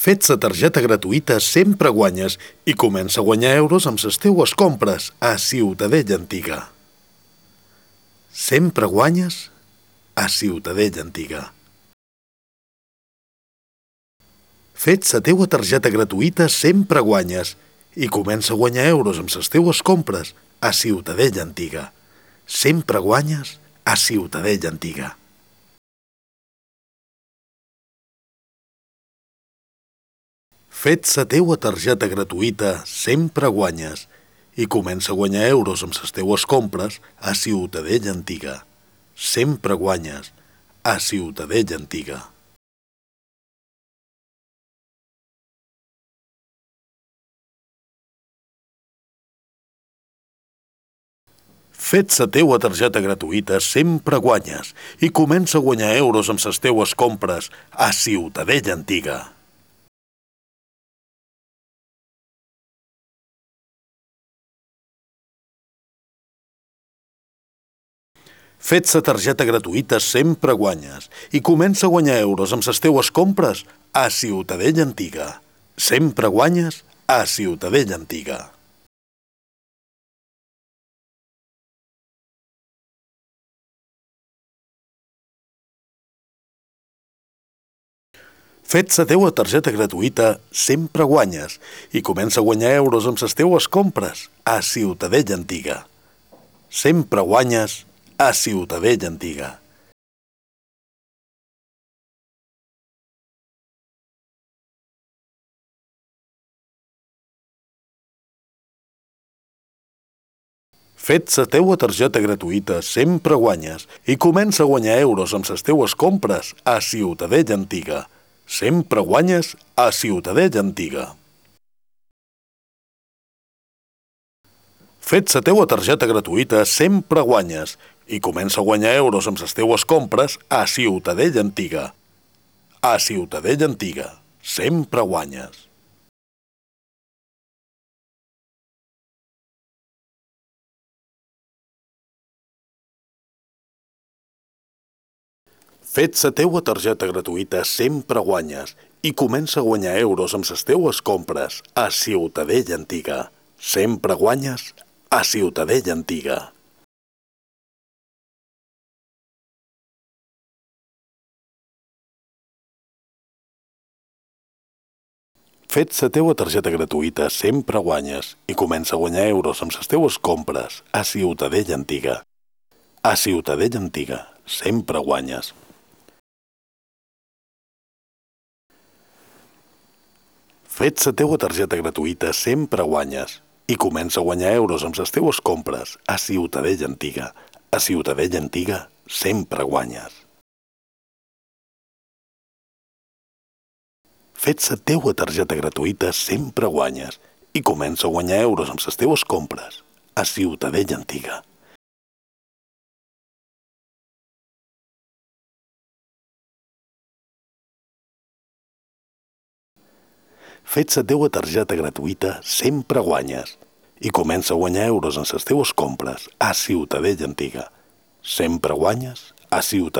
Fets la targeta gratuïta sempre guanyes i comença a guanyar euros amb les teues compres a Ciutadella Antiga. Sempre guanyes a Ciutadella Antiga. Fets la teua targeta gratuïta sempre guanyes i comença a guanyar euros amb les teues compres a Ciutadella Antiga. Sempre guanyes a Ciutadella Antiga. Fets la teua targeta gratuïta sempre guanyes i comença a guanyar euros amb les teues compres a Ciutadella Antiga. Sempre guanyes a Ciutadella Antiga. Fets la teua targeta gratuïta sempre guanyes i comença a guanyar euros amb les teues compres a Ciutadella Antiga. Fets la targeta gratuïta sempre guanyes i comença a guanyar euros amb les teues compres a Ciutadella Antiga. Sempre guanyes a Ciutadella Antiga. Fets la teua targeta gratuïta sempre guanyes i comença a guanyar euros amb les teues compres a Ciutadella Antiga. Sempre guanyes a Ciutadella Antiga. Fets la teua targeta gratuïta sempre guanyes i comença a guanyar euros amb les teues compres a Ciutadella Antiga. Sempre guanyes a Ciutadella Antiga. Fets la teua targeta gratuïta sempre guanyes i comença a guanyar euros amb les teues compres a Ciutadella Antiga. A Ciutadella Antiga. Sempre guanyes. Fets la teua targeta gratuïta sempre guanyes i comença a guanyar euros amb les teues compres a Ciutadella Antiga. Sempre guanyes a Ciutadella Antiga. Fets la teua targeta gratuïta sempre guanyes i comença a guanyar euros amb les teues compres a Ciutadella Antiga. A Ciutadella Antiga. Sempre guanyes. Fets la teua targeta gratuïta sempre guanyes i comença a guanyar euros amb les teues compres a Ciutadella Antiga. A Ciutadella Antiga sempre guanyes. Fets la teua targeta gratuïta sempre guanyes i comença a guanyar euros amb les teues compres a Ciutadella Antiga. Fets la teua targeta gratuïta sempre guanyes i comença a guanyar euros en les teues compres a Ciutadella Antiga. Sempre guanyes a Ciutadella